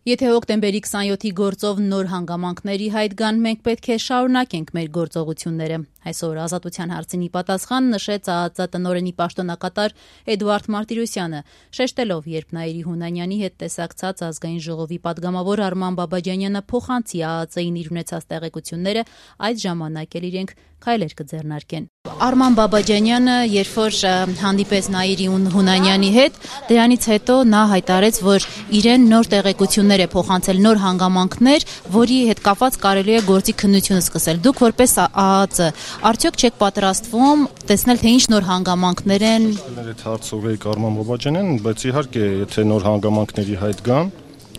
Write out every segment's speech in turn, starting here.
Եթե հոկտեմբերի 27-ի գործով նոր հանգամանքների հայտ գան, մենք պետք է շարունակենք մեր գործողությունները։ Այսօր Ազատության հարցին ի պատասխան նշեց ԱԱԾ տնօրենի պաշտոնակատար Էդուարդ Մարտիրոսյանը, շեշտելով, երբ Նաիրի Հունանյանի հետ տեսակցած Ազգային ժողովի падգամավոր Արման Բաբաջանյանը փոխանցի ԱԱԾ-ին իր ունեցած տեղեկությունները, այդ ժամանակ էլ իրենք քայլեր կձեռնարկեն։ Արման Բաբաջանյանը, երբ որ հանդիպեց Նաիրի Հունանյանի հետ, դրանից հետո նա հայտարարեց, որ իրեն նոր տեղեկություններ է փոխանցել, նոր հանգամանքներ, որի հետ կապված կարելի է գործի քննությունը սկսել։ Դուք որպես ԱԱԾ, արդյոք չեք պատրաստվում տեսնել, թե ինչ նոր հանգամանքներ են։ Այդ հարցը ուղղեք Արման Բաբաջանյանին, բայց իհարկե, եթե նոր հանգամանքների հայտ գան,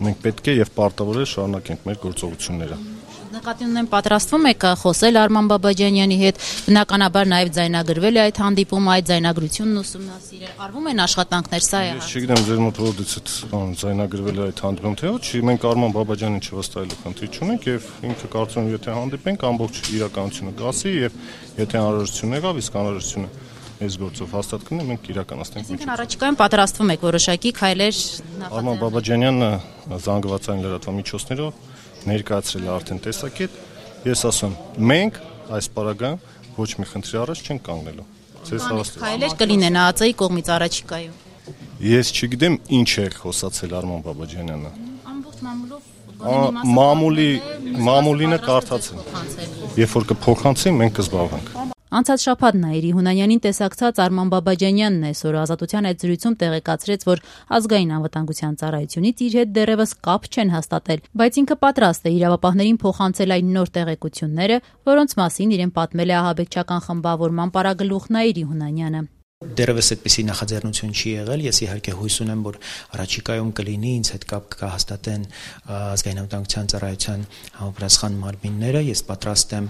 մենք պետք է եւ պարտավոր է շարունակենք մեր գործողությունները։ Նկատի ունեմ, պատրաստվում եք խոսել Արման Բաբաջանյանի հետ, բնականաբար նաև ձայնագրվել է այդ հանդիպումը, այդ ձայնագրությունն ուսումնասիրել, արվում են աշխատանքներ, սա է։ Ես չգիտեմ, ձեր մոտ որտեղից այդ ձայնագրվել է այդ հանդիպումը, թե ոչ, մենք Արման Բաբաջանին չվստահելու խնդիր չունենք եւ ինքը կարծում եմ, եթե հանդիպենք, ամբողջ իրականությունը կասի եւ եթե անհրաժեշտություն եղավ, իսկ անհրաժեշտությունը այս գործով հաստատ կլինի, մենք իրականացնենք։ Այսինքն առաջիկայում պատրաստվում եք որոշակի քայլեր նախաձեռնել։ Արման Բաբաջանյանը զանգվածային լրատվամիջոցներով ներկայացրել է արդեն տեսակետ, ես ասում մենք այս պարագայում ոչ մի խնդրի առաջ չենք կանգնելու։ Ձեզ հավաստիացնում։ Քայլեր կլինեն ԱԱԾ-ի կողմից առաջիկայում։ Ես չգիտեմ ինչ է խոսացել Արման Բաբաջանյանը։ Ամբողջ մամուլինը կարդացել։ Երբ որ կփոխանցի, մենք կզբաղվենք։ Անցած շաբաթ Նաիրի Հունանյանին տեսակցած Արման Բաբաջանյանն այսօր Ազատության այդ զրույցում տեղեկացրեց, որ Ազգային անվտանգության ծառայությունից իր հետ դեռևս կապ չեն հաստատել, բայց ինքը պատրաստ է իրավապահներին փոխանցել այն նոր տեղեկությունները, որոնց մասին իրեն պատմել է ահաբեկչական խմբավորման պարագլուխ Նաիրի Հունանյանը։ Դեռևս այդպիսի նախաձեռնություն չի եղել, ես իհարկե հույս ունեմ, որ առաջիկայում կլինի, ինձ հետ կապ կհաստատեն Ազգային անվտանգության ծառայության համապատասխան մարմինները, ես պատրաստ եմ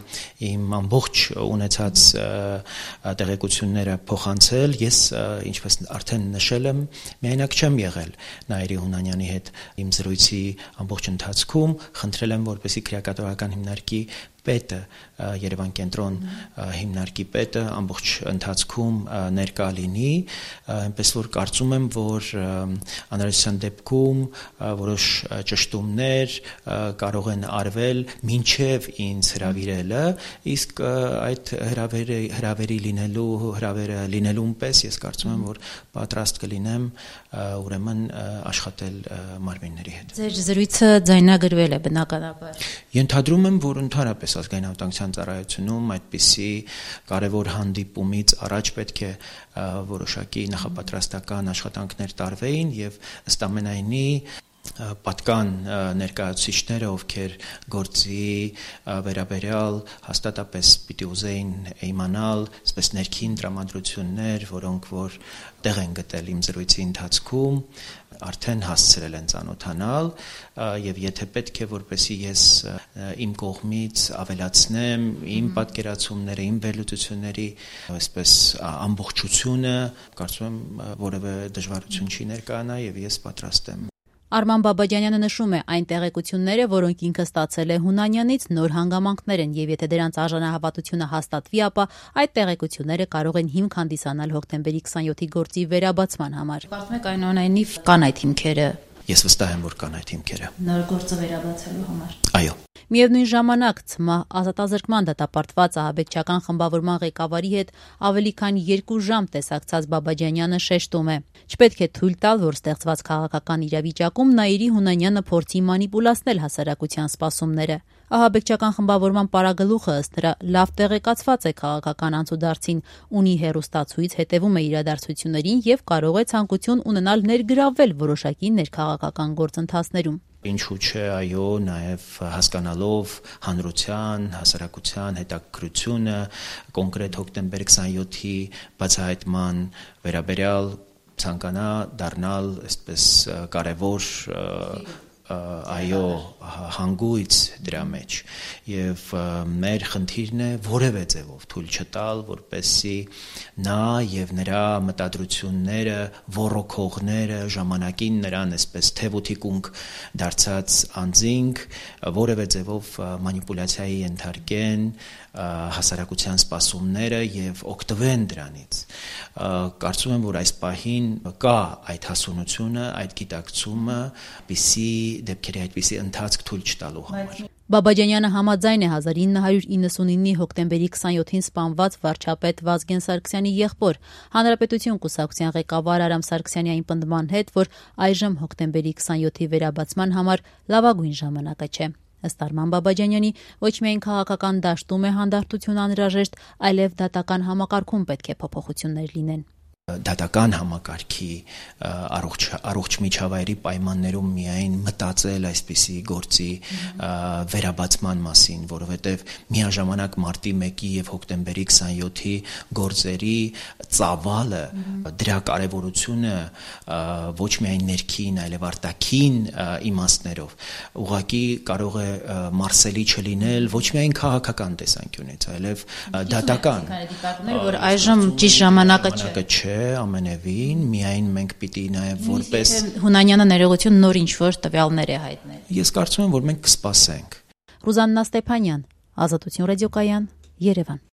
իմ ամբողջ ունեցած տեղեկությունները փոխանցել, ես ինչպես արդեն նշել եմ, միայնակ չեմ եղել Նաիրի Հունանյանի հետ իմ զրույցի ամբողջ ընթացքում, խնդրել եմ, որպեսզի քրեակատվական հիմնարկի պետը, Երևան կենտրոն հիմնարկի պետը ամբողջ ընթացքում ներկա լինի, այնպես որ կարծում եմ, որ անհրաժեշտության դեպքում որոշ ճշտումներ կարող են արվել մինչև ինձ հրավիրելը, իսկ այդ հրավերը լինելուն պես ես կարծում եմ, որ պատրաստ կլինեմ ուրեմն աշխատել մարմինների հետ։ Ձեր զրույցը ձայնագրվել է բնականաբար։ Ենթադրում եմ, որ ընդհանրապես Ազգային անվտանգության ծառայությունում այդպիսի կարևոր հանդիպումից առաջ պետք է որոշակի նախապատրաստական աշխատանքներ տարվեին եւ ըստ ամենայնի պատկան ներկայացուցիչները, ովքեր գործի վերաբերյալ հաստատապես պիտի ուզեին իմանալ, այսպես ներքին տրամադրություններ, որոնք որ տեղ են գտել իմ զրույցի ընթացքում, արդեն հասցրել են ծանոթանալ եւ եթե պետք է որպեսի ես իմ կողմից ավելացնեմ իմ պատկերացումները, իմ վերլուծությունների այսպես ամբողջությունը, կարծում եմ որևէ դժվարություն չի ներկայանա եւ ես պատրաստ եմ։ Արման Բաբաջանյանը նշում է, այն տեղեկությունները, որոնք ինքը ստացել է Հունանյանից, նոր հանգամանքներ են եւ եթե դրանց արժանահավատությունը հաստատվի, ապա այդ տեղեկությունները կարող են հիմք հանդիսանալ հոկտեմբերի 27-ի գործի վերաբացման համար։ Կարծում եք այնուամենայնիվ կան այդ հիմքերը։ Ես վստահ եմ, որ կան այդ հիմքերը։ Նոր գործը վերաբացելու համար։ Այո։ Միևնույն ժամանակ ՑՄԱ ազատազրկման դատապարտված ահաբեկչական խմբավորման ղեկավարի հետ ավելի քան 2 ժամ տեսակցած Բաբաջանյանը շեշտում է. չպետք է թույլ տալ, որ ստեղծված քաղաքական իրավիճակում Նաիրի Հունանյանը փորձի մանիպուլացնել հասարակության սպասումները։ Ահաբեկչական խմբավորման պարագլուխը ըստ նրա լավ տեղեկացված է քաղաքական անցուդարձին, ունի հեռուստացույց, հետևում է իրադարձություններին եւ կարող է ցանկություն ունենալ ներգրավվել որոշակի ներքաղաքական գործընթացներում։ Ինչու՞ չէ, այո, նաև հասկանալով հանրության, հասարակության հետաքրքրությունը կոնկրետ հոկտեմբեր 27-ի բացահայտման վերաբերյալ ցանկանա դառնալ այսպես կարևոր այո հանգույց դրա մեջ եւ մեր խնդիրն է որևէ ձևով թույլ չտալ որպեսզի նա եւ նրա մտադրությունները ոռոգողները ժամանակին նրան այսպես թևոթիկունք դարձած անձինք որևէ ձևով մանիպուլյացիայի ենթարկեն հասարակության սպասումները եւ օգտվեն դրանից կարծում եմ որ այս պահին կա այդ հասունությունը այդ գիտակցումը պիսի դեպքերի այդպիսի ընթացք թույլ չտալու համար։ Բաբաջանյանը համաձայն է 1999-ի հոկտեմբերի 27-ին սպանված վարչապետ Վազգեն Սարգսյանի եղբոր Հանրապետություն կուսակցության ղեկավար Արամ Սարգսյանի այն պնդման հետ, որ այժմ հոկտեմբերի 27-ի վերաբացման համար լավագույն ժամանակը չէ։ Ըստ Արման Բաբաջանյանի, ոչ միայն քաղաքական դաշտում է հանդարտություն անհրաժեշտ, այլև դատական համակարգում պետք է փոփոխություններ լինեն։ Դատական համակարգի առողջ միջավայրի պայմաններում միայն մտածել այսպիսի գործի վերաբացման մասին, որովհետև միաժամանակ մարտի 1-ի եւ հոկտեմբերի 27-ի գործերի ծավալը, դրա կարևորությունը ոչ միայն ներքին, այլև արտաքին իմաստներով ուղղակի կարող է մարսելի չլինել ոչ միայն քաղաքական տեսանկյունից, այլև դատական, որ այժմ ճիշտ ժամանակը չէ։ Ամենևին, միայն մենք պիտի նաև որպես Հունանյանը ներողություն նոր ինչ-որ տվյալներ է հայտնել։ Ես կարծում եմ, որ մենք կսպասենք։ Ռուզաննա Ստեփանյան, Ազատություն ռադիոկայան, Երևան։